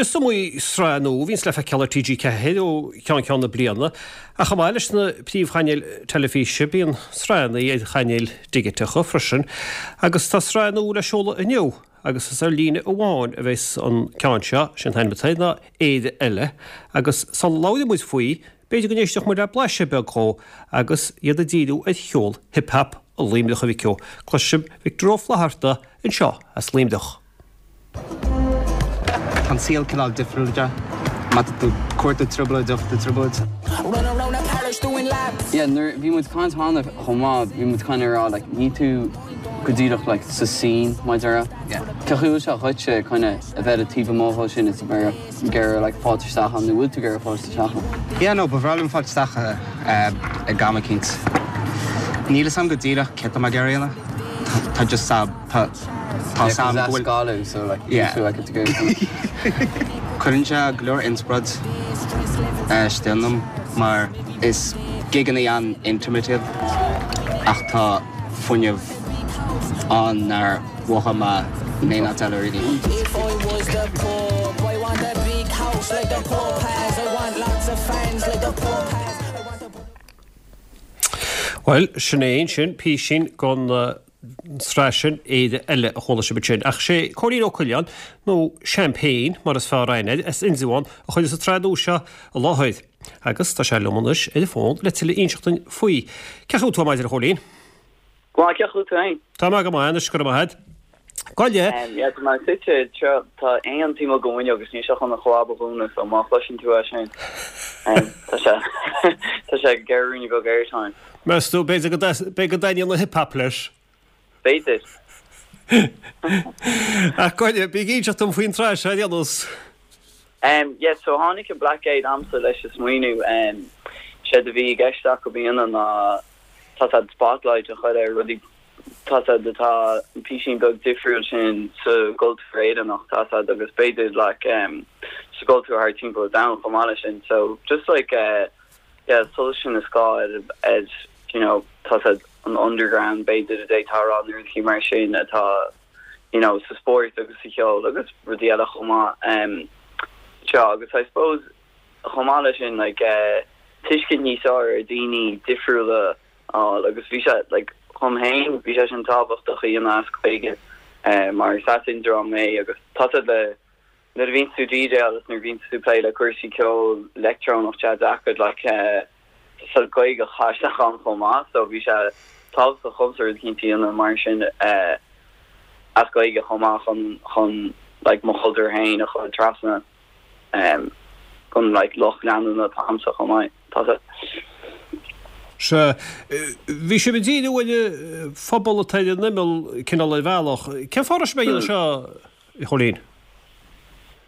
is iomaí sraith nua a bhíonns le feiceáil ar TG4 ó cheann ceann na bliana, ach chomh maith leis na príomhchainéil teilifíse, bíonn sraitheanna ar chainéil dhigiteacha freisin, agus tá sraith nua le seoladh inniu, agus is ar líne amháin a bheas an ceann seo, sé an t-ainm atá air ná Éire Eile, agus sula labhraíonn muid faoi, b'fhéidir go n-éistfeadh muid le blaiseadh beag dhó, agus iad ag díriú ar cheol hip hap Luimneach a Mhic Ó. Cloisfidh Victor Ó Flatharta anseo as Luimneach. Tá an saol cineál difriúil de. Má tá tú ag cuartú trioblóid, gheobhaidh tú trioblóid. Yeah, nuair bhí muid caint cheana chomh maith, bhí muid kind of ag rá like níl tú go díreach like sa scene mar a déarfá. Yeah. Cén chaoi a bhfuil sé dhuitse kind of a bheith taobh amuigh dhó sin is a bheith ag iarraidh like fáilt isteach ann nó bhfuil tú ag iarraidh fáilt isteach ann? Yeah, no, ba bhreá liom fáilt isteach ag am eicínt. Níl fhios a'm go díreach céard tá mé ag iarraidh a dhéanamh. Tá just a. Tá tá 's a'm go bhfuil so like yeah. Cuireann sé go leor inspioráid istigh ionam mar is gigeanna an-intimate iad ach tá fuinneamh ann nár mhothaigh mé in aon áit eile really. Bhuel, sin é ansin písín den tsraith sin, Éire Eile, a chuala sibh ansin. Ach sé Cóilín Ó Coileáin, nó Champagne mar is fearr aithne air, as Indreabhán, a chuireas an tsraith nua seo i láthair. Agus tá sé liom anois ar an bhfón le tuilleadh a inseacht dúinn faoi. Cén chaoi a bhfuil tú ar maidin, a Chóilín? Go maith, cén chaoi a bhfuil tú féin? Tá mé go maith anois, go raibh maith agat. Gabh i leith. Yeah, tá mé suite anseo, tá éan timpeall don bhfuinneog agus níl sé chun a chlab a dhúnadh, so má chloiseann tú é sin, tá sé, tá sé ag iarraidh ruainne beag airtime. Meas tú, b'fhéidir go b'fhéidir go dtaitníonn an hip hop leis? B'fhéidir. Ach gabh i leith, bí ag inseacht dom faoin tsraith seo ar aon nós. Yeah, so tháinig an Blackgate a'msa leis an smaoineamh, séard a bhí i gceist acu a dhéanamh ná tá siad spotlight a chur ar rudaí tá siad atá an písín beag difriúil sin sa gcultúr Éireannach tá siad agus b'fhéidir like sa gcultúr thar timpeall an domhain chomh maith leis sin so just like eh yeah solas sin is gá ar ar you know tá siad an underground b'fhéidir a d'fhéadfá a rá nó rudaí mar sin atá you know sa spórt agus sa cheol agus rudaí eile chomh maith um seo agus I suppose chomh maith leis sin like eh tuiscint níos fearr ar daoine difriúla fháil agus bhí sé like dhom féin bhí sé sin tábhachtach a dhéanamh as Gaeilge mar is as Indreabhán mé agus tá siad le nuair a bhíonns tú DJ agus nuair a bhíonns tú plé le cúrsaí ceol leictreonach tá sé deacair like tá Gaeilge a chur isteach ann chomh maith so bhí sé tábhachtach dhomsa rud eicínt a dhéanamh mar sin as Gaeilge chomh maith chun chun like mo chultúr féin a chur trasna. don like lucht leanúna atá a'msa chomh maith. Tá sé. Sea. Bhí sibh ag díriú ar an phobal atá ar an imeall, cineál ar bhealach. Cén fáth a raibh sibh ag déanamh seo, a Chóilín?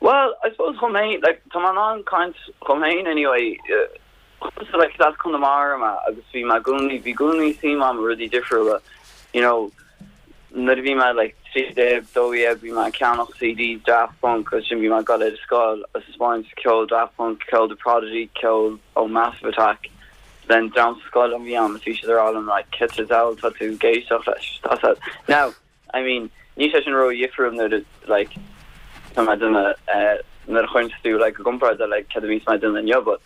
Bhuel, I suppose dhom féin, like, tá mé in ann caint dhom féin anyway, dhomsa, like, is as Conamara mé agus bhí mé i gcónaí, bhí i gcónaí suim a'm i rudaí difriúla, you know, Nuair a bhí mé like 13, 12 bhí mé ag ceannach CDs Daft Punk agus sin bhí mé ag dul ar an scoil agus ag spáint ceol Daft Punk, ceol The Prodigy, ceol ó Massive Attack len dream sa scoil a bhí ann agus bhí siad ag rá liom like cad sa diabhal tá tú ag éisteacht leis? Tá said now I mean níl sé sin ró-dhifriúil nuair a like tá mé ag déanamh eh nuair a chuireann tú like i gcomparáid le like cad a bhíonns mé ag déanamh inniu but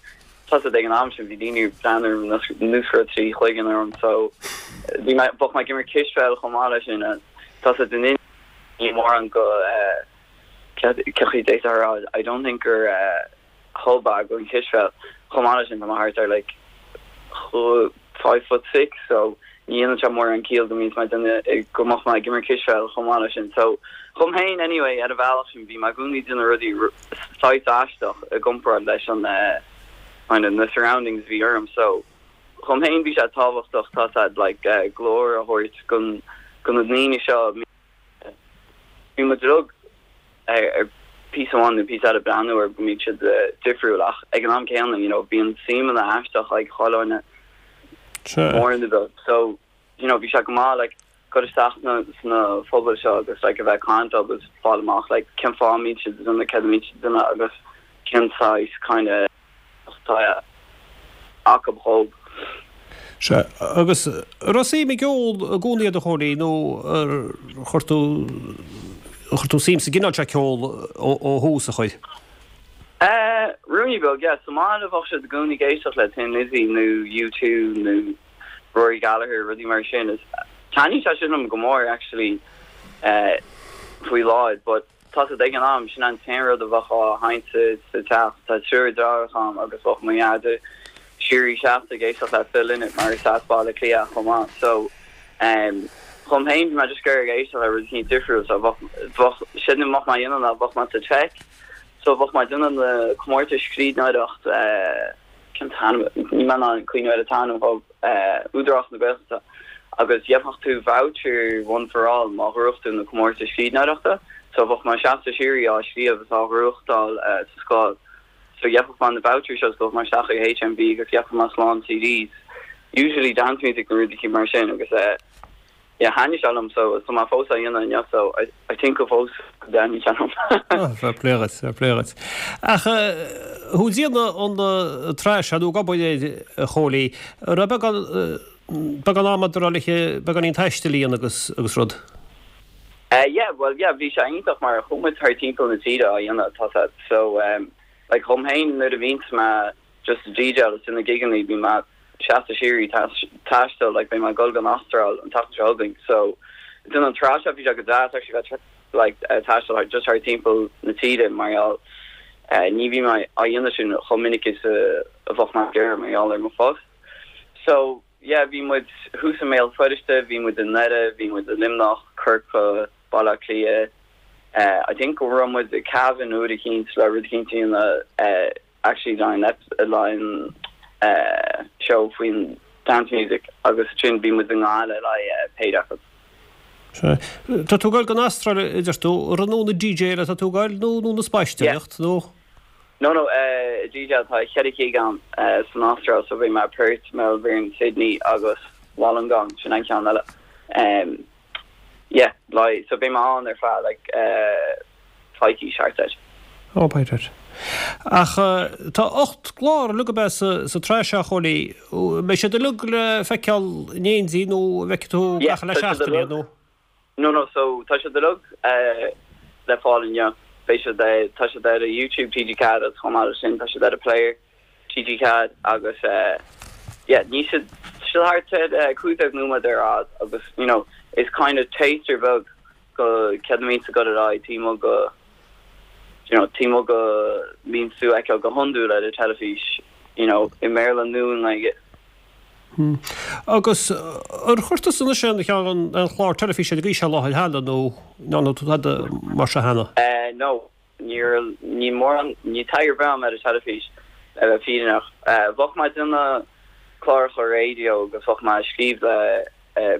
Tá 's a'd ag an am sin bhí daoine ag breathnú orm nós go raibh trí chloigeann orm so bhí mé bheadh mé ag imirt cispheil chomh maith leis sin and tá 's a'd in ní mórán go eh cén chaoi a d'fhéadfá a rá I don't think gur eh hub é don chispheil chomh maith leis sin tá mé thart ar like 5 foot 6 so ní dhéanann sé mórán ciall go mbíonns mé duine go mbeadh mé ag imirt cispheil chomh maith leis sin so dhom féin anyway ar an bhealach sin bhí mé i gcónaí ag déanamh rudaí saghas aisteach i gcomparáid leis an kind of na surroundings a bhí orm so dhom féin bhí sé tábhachtach tá 's a'd like glór a thabhairt gon go na ndaoine seo Bhí muid uilig ar píosa amháin nó píosa eile breathnú ar go mbíonn siad difriúil ach ag an am céanna you know bíonn suímeanna aisteach ag chuile dhuine mór nó beag so you know bhí sé go maith like dul isteach sna sna phobail seo agus like a bheith ag caint leo agus fáil amach like cén fáth a mbíonn siad ag déanamh céard a mbíonn siad ag déanamh agus cén saghas kind of atá acu dhóibh. Sea, agus an raibh suim i gceol i gcónaí agat a Chóilín nó ar chuir tú, chuir tú suim sa gcineál seo ceoil ó thús, a chuir? Eh, ruainne beag, yeah. Sa mbaile bheadh siad i gcónaí ag éisteacht le Thin Lizzy nó U2 nó Rory Gallagher, rudaí mar sin. Is taitníonn sé sin liom go mór actually eh, faoi láthair, but tá siad ag an am, sin an t-aon rud a bheadh á sheinnt sa sa teach. Tá triúr deartháireacha agam agus bheadh mo dhaid de shíoraí seasta ag éisteacht le Phil Lynott mar is as Baile Átha Cliath chomh maith. So, em, dhom féin bhí mé just ag iarraidh éisteacht le rud eicínt difriúil so bheadh bheadh sin a bheadh mé a dhéanamh ná bheadh mé sa teic So bheadh mé ag déanamh na comórtais scríbhneoireacht, cén t-ainm, níl mé in ann cuimhneamh ar an t-ainm dhóibh, Údarás na Gaeltachta, agus gheobhadh tú voucher One for All má ghnóthaigh tú na comórtais scríbhneoireachta. So bheadh mé seasta síoraí á scríobh is á ghnóthachtáil sa scoil. So gheobhadh mé na vouchers seo is gabhadh mé isteach ag HMV agus gheobhadh mé slán CDs, usually dance music nó rudaí mar sin agus eh, Yeah, thaitnigh sé liom so tá mé fós á dhéanamh inniu so I think go fós go dtaitníonn sé liom. Oh, fair play dhuit, fair play dhuit. Ach thú ag déanamh an tsraith seo nó ag obair air, a Chóilí, an raibh beagán, beagán ama agat le beagáinín taistil a dhéanamh agus, agus rud? Yeah, well yeah, bhí sé iontach mar chuaigh muid thar timpeall na tíre á dhéanamh, tá sé, so like dhom féin nuair a bhíonns mé just ag DJáil is ag déanamh gigeanna bíonn mé seasta síoraí taisteal like beidh mé ag dul go an Astráil an tseachtain seo chugainn so ag déanamh an tsraith seo bhí sé go deas actually bheith like taisteal thar just thar timpeall na tíre mar gheall ní bhíonn mé á dhéanamh sin chomh minic is a bheadh mé ag iarraidh mar gheall ar mo phost so yeah bhí muid thuas i mBéal Feirste bhí muid i nDoire bhí muid i Luimneach Corcaigh Baile Átha Cliath I think go raibh muid i Cavan uair eicínt le rud eicínt a dhéanamh actually le haghaidh an show faoin dance music agus ansin bhí muid i nGaillimh le haghaidh péire acu. Sea. Tá tú ag goil don Astráil a deir tú, ar an ag DJáil atá tú ag goil nó nó ag spaisteoireacht nó? No no ag DJáil tá cheithre ghig agam san Astráil so beidh mé Perth, Melbourne, Sydney agus Wollongong sin an ceann eile. Yeah, like, so beidh mé ann ar feadh like coicís thart air. Oh, by that. Ach tá 8 gclár uilig ab ea sa tsraith seo, a Chóilí. Mbeidh siad uilig le feiceáil in éindí nó an bhfeicfidh tú Yeah, gach uile tá siad seachtain iad uilig. nó? No, no, so tá siad uilig le fáil inniu. Beidh siad, tá siad ar YouTube TG4 agus chomh maith leis sin tá siad ar an Player. TG4 agus yeah níl siad siad thart ar 15 nóiméad ar fhad agus you know is kind of taster beag go céard a mbíonns ag dul ar aghaidh taobh amuigh go you know taobh amuigh go mbíonns tú a fheiceáil go hiondúil ar an teilifís you know i mBéarla nó i nGaeilge. Hmm. Agus ar chuir tusa anois aon cheann aon chlár teilifíse ar an gcaoi seo i láthair cheana nó ndearna tú tada mar seo cheana? Eh no. Níl, níl mórán, níl taithí ar bith agam ar an teilifís, le bheith fírinneach. Bheadh mé ag déanamh cláracha raidió agus bheadh mé ag scríobh le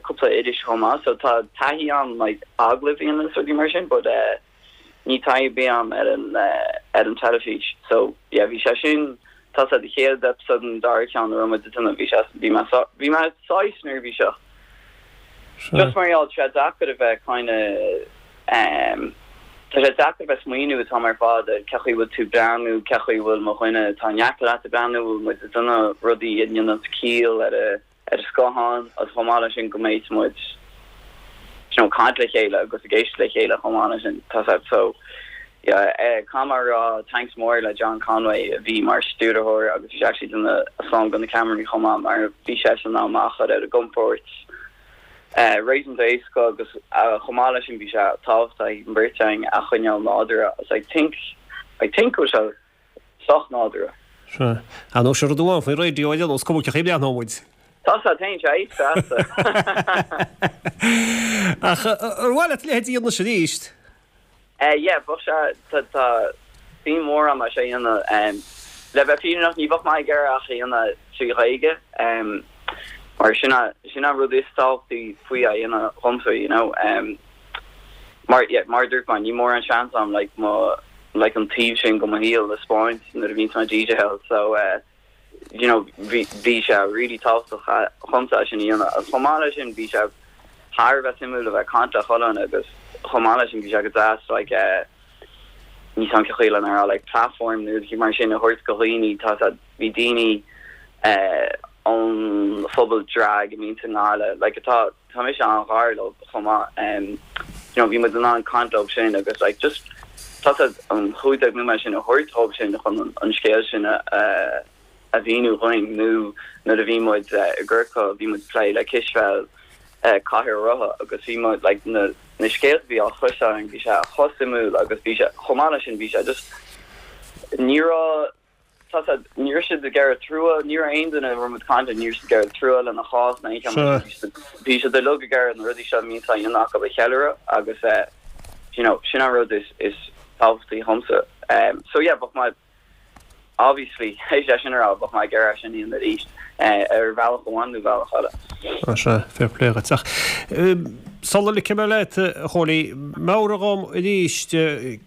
cúpla iris chomh maith, so tá taithí agam like agallaimh a dhéanamh is rudaí mar sin, but níl taithí ar bith agam ar an, ar an teilifís. So yeah, bhí sé sin, tá sé an chéad episode an dara ceann a raibh muid ag déanamh, bhí sé, bhí mé, bhí mé saghas neirbhíseach. Just mar gheall, tá sé deacair a bheith kind of em tá sé deacair a bheith smaoineamh an t-am ar fad ar cén chaoi bhfuil tú breathnú, cén chaoi bhfuil mo dhuine atá in aice leat ag breathnú, bhfuil muid ag déanamh rudaí a dhéanann ciall ar a ar an scáthán agus chomh maith leis sin go mbeidh muid you know caint le chéile agus ag éisteacht le chéile chomh maith leis sin tá sé so yeah caithfidh mé a rá thanks mór le John Conway a bhí mar stiúrthóir agus bhí sé actually ag déanamh slán go na ceamaraí chomh maith mar bhí seisean in ann mé a chur ar an gcompord réasúnta éasca agus chomh maith leis sin bhí sé tábhachtach an bheirt againn a choinneáil nádúrtha agus I think I think go bhfuil sé sách nádúrtha. Sea. Ar ndóigh sin rud amháin faoin raidió ar aon nós, cuma cén chaoi a mbreathnóidh muid. Tá sé féin sé feasta. Ach ar mhaith leat a leithéid a dhéanamh anois arís? Yeah, bheadh sé, tá, tá suim mhór agam é seo a dhéanamh. Le bheith fírinneach, ní bheadh mé ag iarraidh ach a dhéanamh trí Ghaeilge, mar sin é, sin é an rud is tábhachtaí faoi a dhéanamh dhomsa, you know. Mar, yeah, mar a dúirt mé, níl mórán seans agam, like, mo, like, an taobh sin go mo shaol a 'spáint nuair a bhíonns mé ag DJáil, so, you know, bhí, bhí sé really tábhachtach dhomsa é sin a dhéanamh. Agus chomh maith leis sin, bhí sé thar a bheith suimiúil a bheith ag caint le chuile dhuine agus chomh maith leis sin bhí sé go deas like eh níl 's a'm cén chaoi lena rá like platform nó rudaí mar sin a thabhairt go dhaoine tá sé bhí daoine eh ón phobal drag a bhíonns i nGaillimh like atá tá mise an-ghar leo chomh maith em you know bhí muid in ann caint leo sin agus like just. Tá a fhios a'd an 15 nóiméad sin a thabhairt dhóibh sin chun an scéal sin a a mhíniú dhúinn nó nuair a bhí muid i gCorcaigh bhí muid ag plé le cispheil cathaoir rotha agus bhí muid like na na scéalta a bhí á chloisteáil againn bhí sé chomh suimiúil agus bhí sé chomh maith leis sin bhí sé just ní raibh tá a fhios a'd ní raibh siad ag iarraidh trua ní raibh aon duine a raibh muid ag caint leo ní raibh siad ag iarraidh trua lena chás ná aon cheann mar sin bhí siad uilig ag iarraidh na rudaí seo a mbíonn á dhéanamh acu a cheiliúradh agus eh you know sin an rud is is tábhachtaí dhomsa so yeah bheadh mé Obviously, théis é sin a rá, bheadh mé ag iarraidh é sin a dhéanamh arís, ar bhealach amháin nó bealach eile. Sea, sea, fair play dhuit. Ach sula ligfidh mé leat, a Chóilí, meabhraigh dhom arís,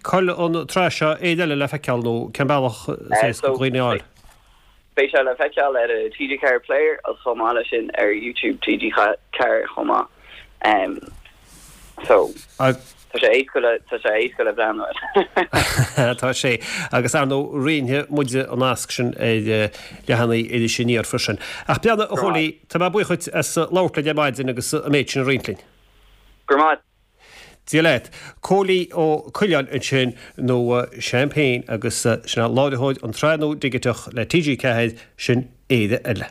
cá bhfuil an tsraith seo Éire Eile le feiceáil nó cén bealach is éasca do dhaoine a fháil? Beidh sé le feiceáil ar TG4 Player agus chomh maith leis sin ar YouTube TG4 chomh maith. So, tá sé éasca le, tá sé éasca le breathnú air. Tá sé. Agus ar ndóigh, roinnfidh muide an nasc sin ar leathanaigh Iris Aniar freisin. Ach breathnaigh, a Chóilí, tá mé buíoch dhuit as labhairt linn ar maidin agus an méid sin a roinnt linn. Go raibh maith. Dia leat. Cóilí Ó Coileáin ansin, nó Champagne, agus sin é láithreoir an tsraith nua dhigiteach le TG4, sin Éire Eile.